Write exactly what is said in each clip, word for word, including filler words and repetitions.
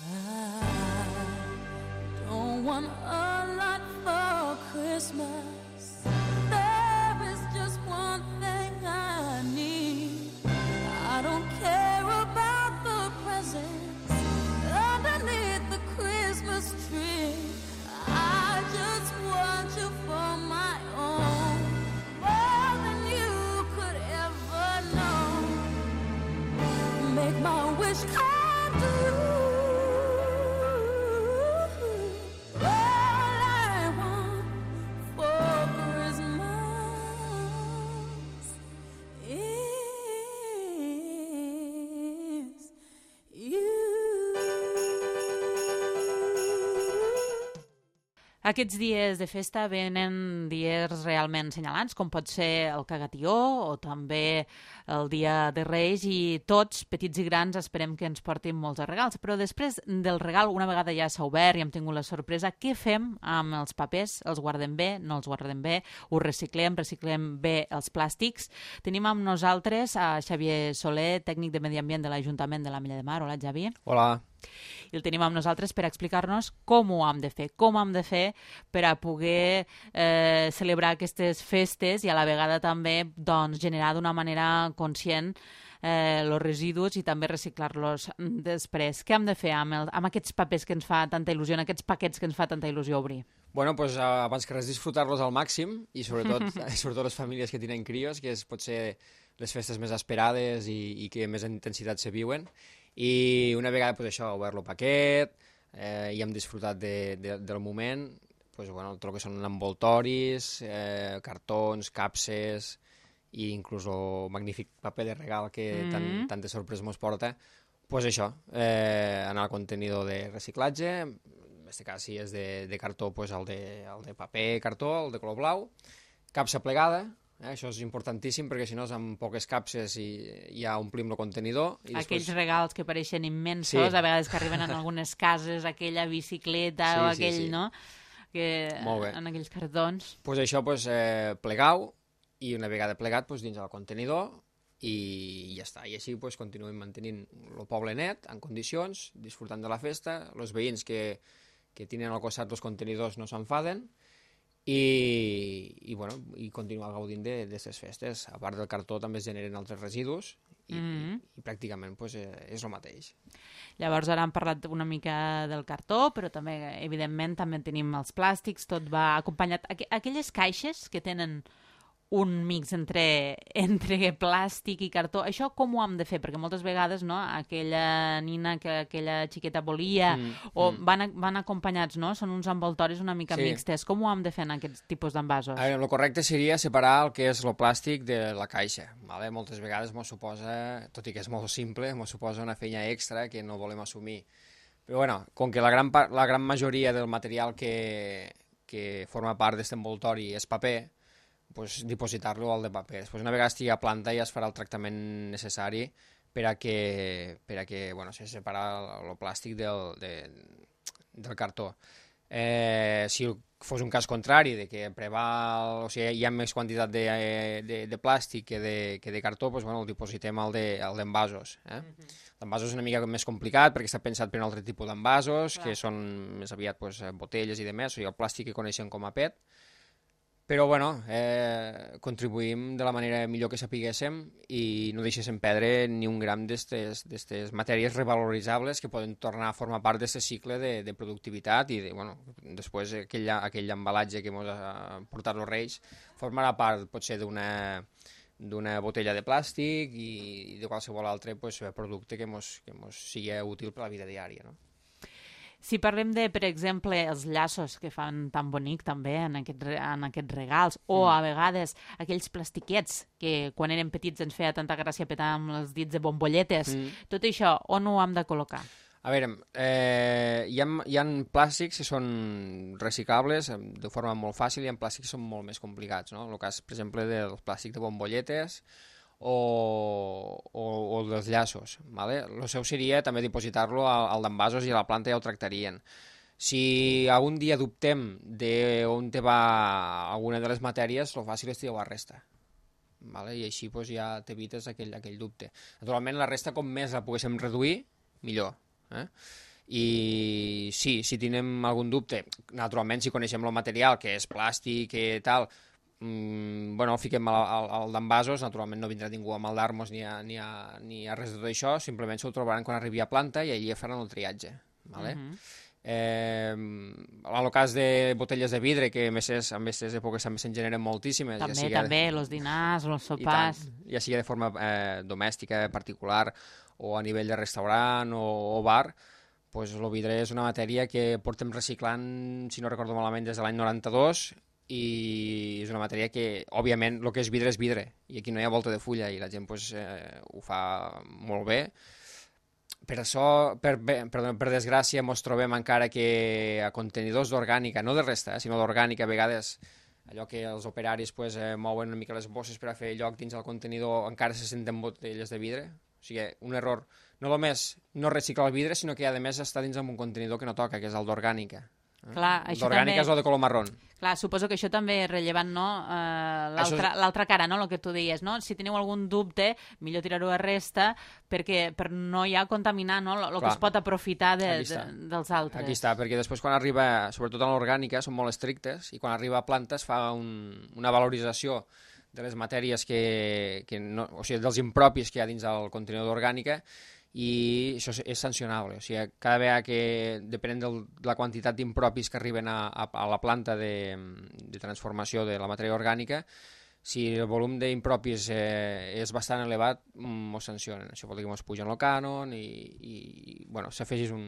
I don't want a lot for Christmas. There is just one thing I need. I don't care about the presents underneath the Christmas tree. I just want you for my own, more than you could ever know. Make my wish come true. Aquests dies de festa venen dies realment senyalants, com pot ser el Cagatió o també el Dia de Reis, i tots, petits i grans, esperem que ens portin molts regals. Però després del regal, una vegada ja s'ha obert i hem tingut la sorpresa, què fem amb els papers? Els guardem bé? No els guardem bé? Ho reciclem? Reciclem bé els plàstics? Tenim amb nosaltres a Xavier Soler, tècnic de Medi Ambient de l'Ajuntament de l'Ametlla de Mar. Hola, Xavi. Hola. I el tenim amb nosaltres per explicar-nos com ho hem de fer, com hem de fer per a poder eh, celebrar aquestes festes i a la vegada també doncs, generar d'una manera conscient eh, els residus i també reciclar-los després. Què hem de fer amb, el, amb aquests papers que ens fa tanta il·lusió, en aquests paquets que ens fa tanta il·lusió obrir? Bueno, pues, abans que res, disfrutar-los al màxim i sobretot, sobretot les famílies que tenen crios, que és potser les festes més esperades i, i que més intensitat se viuen. I una vegada pues, això, obert el paquet eh, i hem disfrutat de, de, del moment, pues, bueno, tot el que són envoltoris, eh, cartons, capses i inclús el magnífic paper de regal que mm. tant, tantes sorpreses mos porta, pues això, eh, anar al contenidor de reciclatge, en aquest cas si és de, de cartó, pues, el, de, el de paper cartó, el de color blau, capsa plegada. Eh, això és importantíssim perquè si no amb poques capses i ja omplim el contenidor. I Aquells després... regals que pareixen immensos, sí. A vegades que arriben en algunes cases, aquella bicicleta sí, o aquell, sí, sí. No? Que, en aquells cartons. Pues això, pues, eh, plegau i una vegada plegat pues, dins del contenidor i ja està. I així pues, continuem mantenint el poble net, en condicions, disfrutant de la festa. Els veïns que, que tenen al costat els contenidors no s'enfaden. I, i, bueno, i continuar gaudint d'aquestes festes. A part del cartó també es generen altres residus i, mm-hmm. i, i pràcticament pues, és el mateix. Llavors ara hem parlat una mica del cartó, però també, evidentment, també tenim els plàstics, tot va acompanyat. Aqu aquelles caixes que tenen un mix entre, entre plàstic i cartó, això com ho hem de fer? Perquè moltes vegades no, aquella nina que aquella xiqueta volia mm, o mm. Van, van acompanyats, no? Són uns envoltoris una mica sí. mixtes. Com ho hem de fer en aquests tipus d'envasos? El correcte seria separar el que és el plàstic de la caixa. Vale? Moltes vegades mos suposa, tot i que és molt simple, mos suposa una feina extra que no volem assumir. Però bueno, com que la gran, la gran majoria del material que, que forma part d'aquest envoltori és paper, pues, dipositar-lo al de paper. Després, una vegada estigui a planta ja es farà el tractament necessari per a que, per a que bueno, se separa el, el plàstic del, de, del cartó. Eh, si fos un cas contrari, de que preval, o sigui, hi ha més quantitat de, de, de plàstic que de, que de cartó, pues, bueno, el dipositem al d'envasos. De, eh? Mm-hmm. L'envasos és una mica més complicat perquè està pensat per un altre tipus d'envasos, que són més aviat pues, botelles i demés, o sigui, el plàstic que coneixem com a P E T. Però, bueno, eh, contribuïm de la manera millor que sapiguéssim i no deixéssim perdre ni un gram d'aquestes matèries revaloritzables que poden tornar a formar part d'aquest cicle de, de productivitat i de, bueno, després aquell, aquell embalatge que ens ha portat els Reis formarà part, potser, d'una d'una botella de plàstic i, i de qualsevol altre pues, producte que ens que mos sigui útil per a la vida diària, no? Si parlem de, per exemple, els llaços que fan tan bonic també en, aquest, en aquests regals, o mm. a vegades aquells plastiquets que quan érem petits ens feia tanta gràcia petar amb els dits de bombolletes, mm. tot això, on ho hem de col·locar? A veure, eh, hi, ha, hi ha plàstics que són reciclables de forma molt fàcil i hi ha plàstics que són molt més complicats, no? El cas, per exemple, del plàstic de bombolletes, O, o, o dels llaços. ¿Vale? El seu seria també dipositar-lo al, al d'envasos i a la planta ja ho tractarien. Si algun dia dubtem d'on te va alguna de les matèries, el fàcil és tirar la resta. ¿Vale? I així pues, ja t'evites aquell, aquell dubte. Naturalment, la resta, com més la poguéssim reduir, millor. Eh? i sí, si tenim algun dubte, naturalment si coneixem el material, que és plàstic i tal, mmm, bueno, el fiquem al, al, al d'envasos, naturalment no vindrà ningú amb el d'armos ni, a, ni, a, ni a res de tot això, simplement s'ho trobaran quan arribi a planta i allà faran el triatge, vale? Uh-huh. Eh, en el cas de botelles de vidre, que a aquestes, en aquestes èpoques també se'n generen moltíssimes. També, ja sigui, també, els dinars, els sopars... Tant, ja sigui de forma eh, domèstica, particular, o a nivell de restaurant o, o bar, pues, el vidre és una matèria que portem reciclant, si no recordo malament, des de l'any noranta-dos, i és una matèria que, òbviament, el que és vidre és vidre, i aquí no hi ha volta de fulla, i la gent pues, eh, ho fa molt bé. Per això, per, perdó, per desgràcia, ens trobem encara que a contenidors d'orgànica, no de resta, eh, sinó d'orgànica, a vegades allò que els operaris pues, eh, mouen una mica les bosses per a fer lloc dins el contenidor, encara se senten botelles de vidre. O sigui, un error. No només no reciclar el vidre, sinó que a més està dins d'un contenidor que no toca, que és el d'orgànica. Clar, això d'orgànica també... és el de color marrón. Clar, suposo que això també és rellevant, no? Uh, l'altra és... cara, no? El que tu deies, no? Si teniu algun dubte, millor tirar-ho a resta perquè per no ja contaminar, no? El que es pot aprofitar de, de, dels altres. Aquí està, perquè després quan arriba, sobretot en l'orgànica, són molt estrictes i quan arriba a planta es fa un, una valorització de les matèries que, que no, o sigui, dels impropis que hi ha dins del contenidor d'orgànica, i això és sancionable. O sigui, cada vegada que, depenent de la quantitat d'impropis que arriben a, a, a la planta de, de transformació de la matèria orgànica, si el volum d'impropis eh, és bastant elevat, mos sancionen. Això vol dir que mos pugen el cànon i, i bueno, s'afegeix un,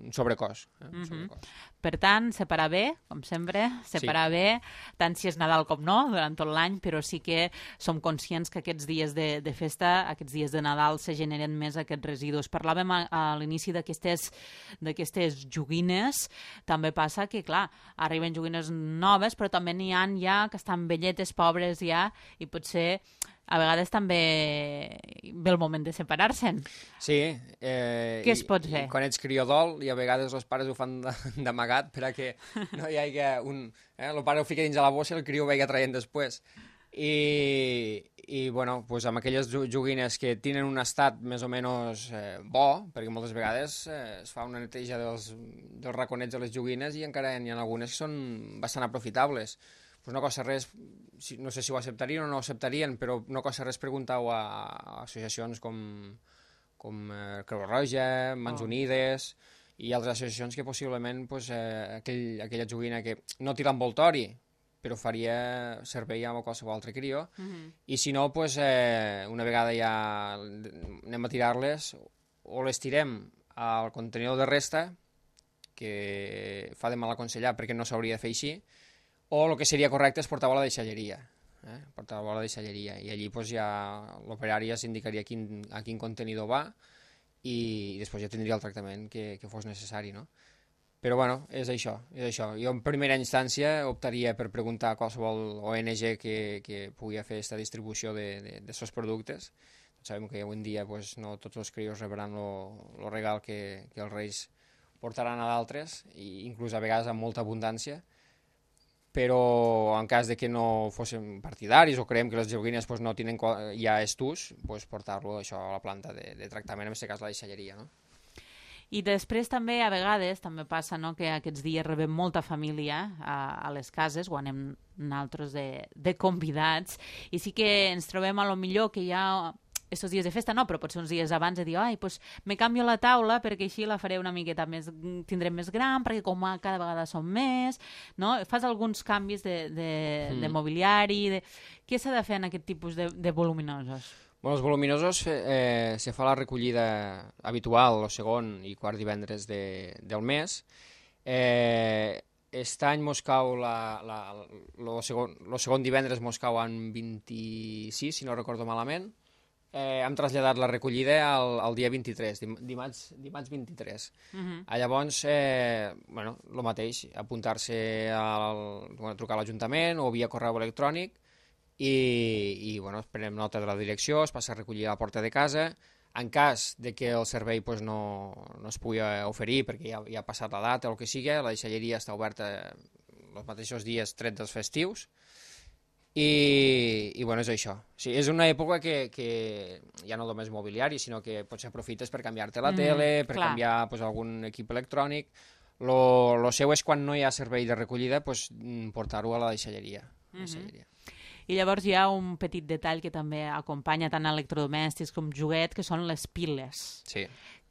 un sobrecost. Eh? Un sobrecost. Mm-hmm. Per tant, separar bé, com sempre, separar sí. bé, tant si és Nadal com no, durant tot l'any, però sí que som conscients que aquests dies de, de festa, aquests dies de Nadal, se generen més aquests residus. Parlàvem a, a l'inici d'aquestes d'aquestes joguines, també passa que, clar, arriben joguines noves, però també n'hi ha ja que estan velletes, pobres ja, i potser a vegades també ve el moment de separar-se'n. Sí. Eh, Què es pot fer? I quan ets criodol, i a vegades els pares ho fan d'amagat per a que no hi hagi un... Eh, el pare ho fica dins de la bossa i el criu ho vegi traient després. I, i bueno, pues amb aquelles joguines que tenen un estat més o menys eh, bo, perquè moltes vegades eh, es fa una neteja dels, dels raconets de les joguines i encara n'hi ha algunes que són bastant aprofitables. Pues no costa res, no sé si ho acceptarien o no ho acceptarien, però no costa res preguntar-ho a, a associacions com, com eh, Creu Roja, Mans oh. Unides i altres associacions que possiblement pues, eh, aquell, aquella joguina que no tira envoltori, però faria servei a qualsevol altre crió, uh-huh. i si no, pues, eh, una vegada ja anem a tirar-les, o les tirem al contenidor de resta, que fa de mal aconsellar perquè no s'hauria de fer així, o el que seria correcte és portar-ho a la deixalleria, eh? portar-ho a la deixalleria, i allí pues, ja l'operari ja s'indicaria quin, a quin contenidor va i, i després ja tindria el tractament que, que fos necessari, no? Però bueno, és això, és això. Jo en primera instància optaria per preguntar a qualsevol O N G que, que pugui fer aquesta distribució d'aquests productes. Sabem que avui en dia pues, no tots els crios rebran el regal que, que els reis portaran a d'altres, i inclús a vegades amb molta abundància, però en cas de que no fóssim partidaris o creiem que les joguines pues, no tenen ja estús, pues, portar-lo això a la planta de, de tractament, en aquest cas la deixalleria, no? I després també, a vegades, també passa no, que aquests dies rebem molta família a, a les cases, o anem nosaltres de, de convidats, i sí que ens trobem a lo millor que hi ha estos dies de festa, no, però potser uns dies abans de dir, ai, doncs me canvio la taula perquè així la faré una miqueta més, tindrem més gran, perquè com cada vegada som més, no? Fas alguns canvis de, de, mm. de mobiliari, de... Què s'ha de fer en aquest tipus de, de voluminosos? Bueno, els voluminosos eh, se fa la recollida habitual el segon i quart divendres de, del mes. Eh, Aquest any mos cau la, la, el segon, segon divendres mos cau en vint-i-sis, si no recordo malament. Eh, hem traslladat la recollida al, al dia vint-i-tres, dim, dimarts, dimarts vint-i-tres. Uh-huh. A llavors, eh, bueno, el mateix, apuntar-se al, bueno, trucar a l'Ajuntament o via correu electrònic i, i bueno, prenem nota de la direcció, es passa a recollir a la porta de casa. En cas de que el servei pues, no, no es pugui oferir perquè ja, ja ha passat la data o el que sigui, la deixalleria està oberta els mateixos dies tret dels festius. I, i bueno, és això. Sí, és una època que, que ja no només mobiliari, sinó que potser aprofites per canviar-te la Mm, tele, per clar. canviar pues, algun equip electrònic. Lo, lo seu és quan no hi ha servei de recollida, pues, mm, portar-ho a la deixalleria. La deixalleria. I llavors hi ha un petit detall que també acompanya tant electrodomèstics com joguet, que són les piles. Sí.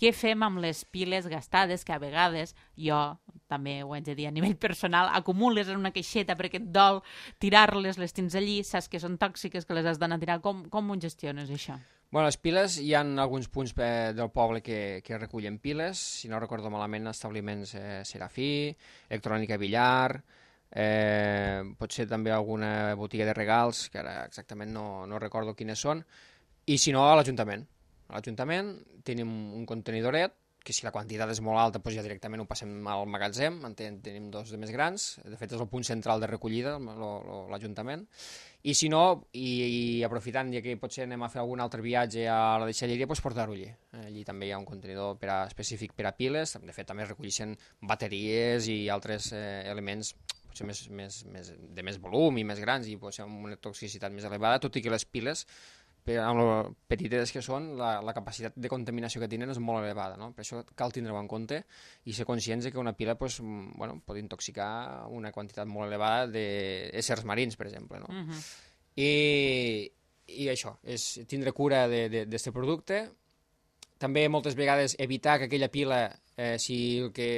Què fem amb les piles gastades, que a vegades jo, també ho haig de dir a nivell personal, acumules en una caixeta perquè et dol tirar-les, les tens allí, saps que són tòxiques, que les has d'anar a tirar. Com, com ho gestiones, això? Bueno, les piles, hi ha alguns punts eh, del poble que, que recullen piles, si no recordo malament, establiments eh, Serafí, Electrònica Villar, eh, potser també alguna botiga de regals, que ara exactament no, no recordo quines són, i si no, a l'Ajuntament. A l'Ajuntament tenim un contenidoret, que si la quantitat és molt alta, doncs ja directament ho passem al magatzem, en ten, tenim dos de més grans, de fet és el punt central de recollida, l'Ajuntament, i si no, i, i aprofitant, ja que potser anem a fer algun altre viatge a la deixalleria, doncs portar-ho allí. Allí també hi ha un contenidor per a, específic per a piles, de fet també es recolleixen bateries i altres eh, elements potser més, més, més, de més volum i més grans i potser amb una toxicitat més elevada, tot i que les piles, per, amb lo petites que són, la, la capacitat de contaminació que tenen és molt elevada, no? Per això cal tindre-ho en compte i ser conscients que una pila pues, bueno, pot intoxicar una quantitat molt elevada d'éssers marins, per exemple. No? Uh-huh. I, I això, és tindre cura d'aquest producte. També moltes vegades evitar que aquella pila, eh, si el que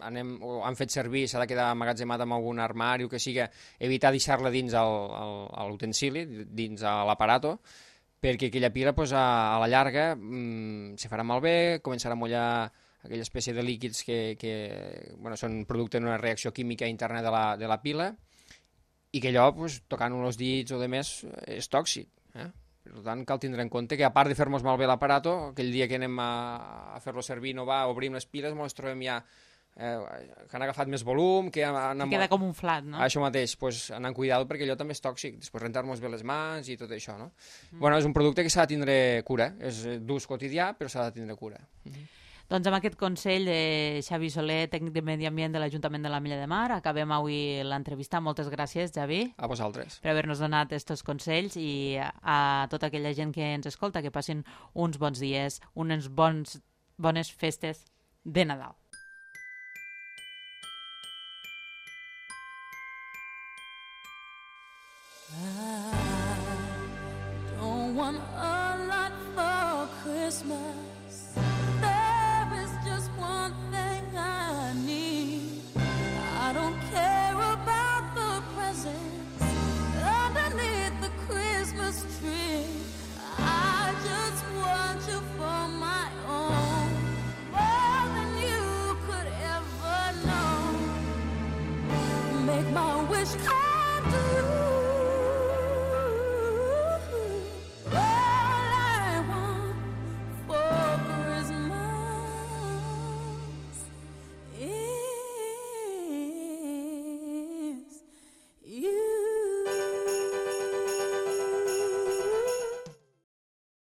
anem, o han fet servir s'ha de quedar emmagatzemat en algun armari o que siga, evitar deixar-la dins l'utensili, dins a l'aparato, perquè aquella pila pues, a, a la llarga mmm, se farà malbé, començarà a mullar aquella espècie de líquids que, que bueno, són producte d'una reacció química interna de la, de la pila i que allò, pues, tocant-ho els dits o de més, és tòxic. Eh? Per tant, cal tindre en compte que a part de fer-nos malbé l'aparato, aquell dia que anem a, a fer-lo servir no va, obrim les piles, ens trobem ja eh, que han agafat més volum, que han... Que queda com un flat, no? Això mateix, pues, anar amb cuidado perquè allò també és tòxic, després rentar-nos bé les mans i tot això, no? Mm. Bueno, és un producte que s'ha de tindre cura, és d'ús quotidià, però s'ha de tindre cura. Mm. Doncs amb aquest consell de Xavi Soler, tècnic de Medi Ambient de l'Ajuntament de l'Ametlla de Mar, acabem avui l'entrevista. Moltes gràcies, Xavi. A vosaltres. Per haver-nos donat aquests consells i a tota aquella gent que ens escolta, que passin uns bons dies, unes bons, bones festes de Nadal. I don't want a lot for Christmas.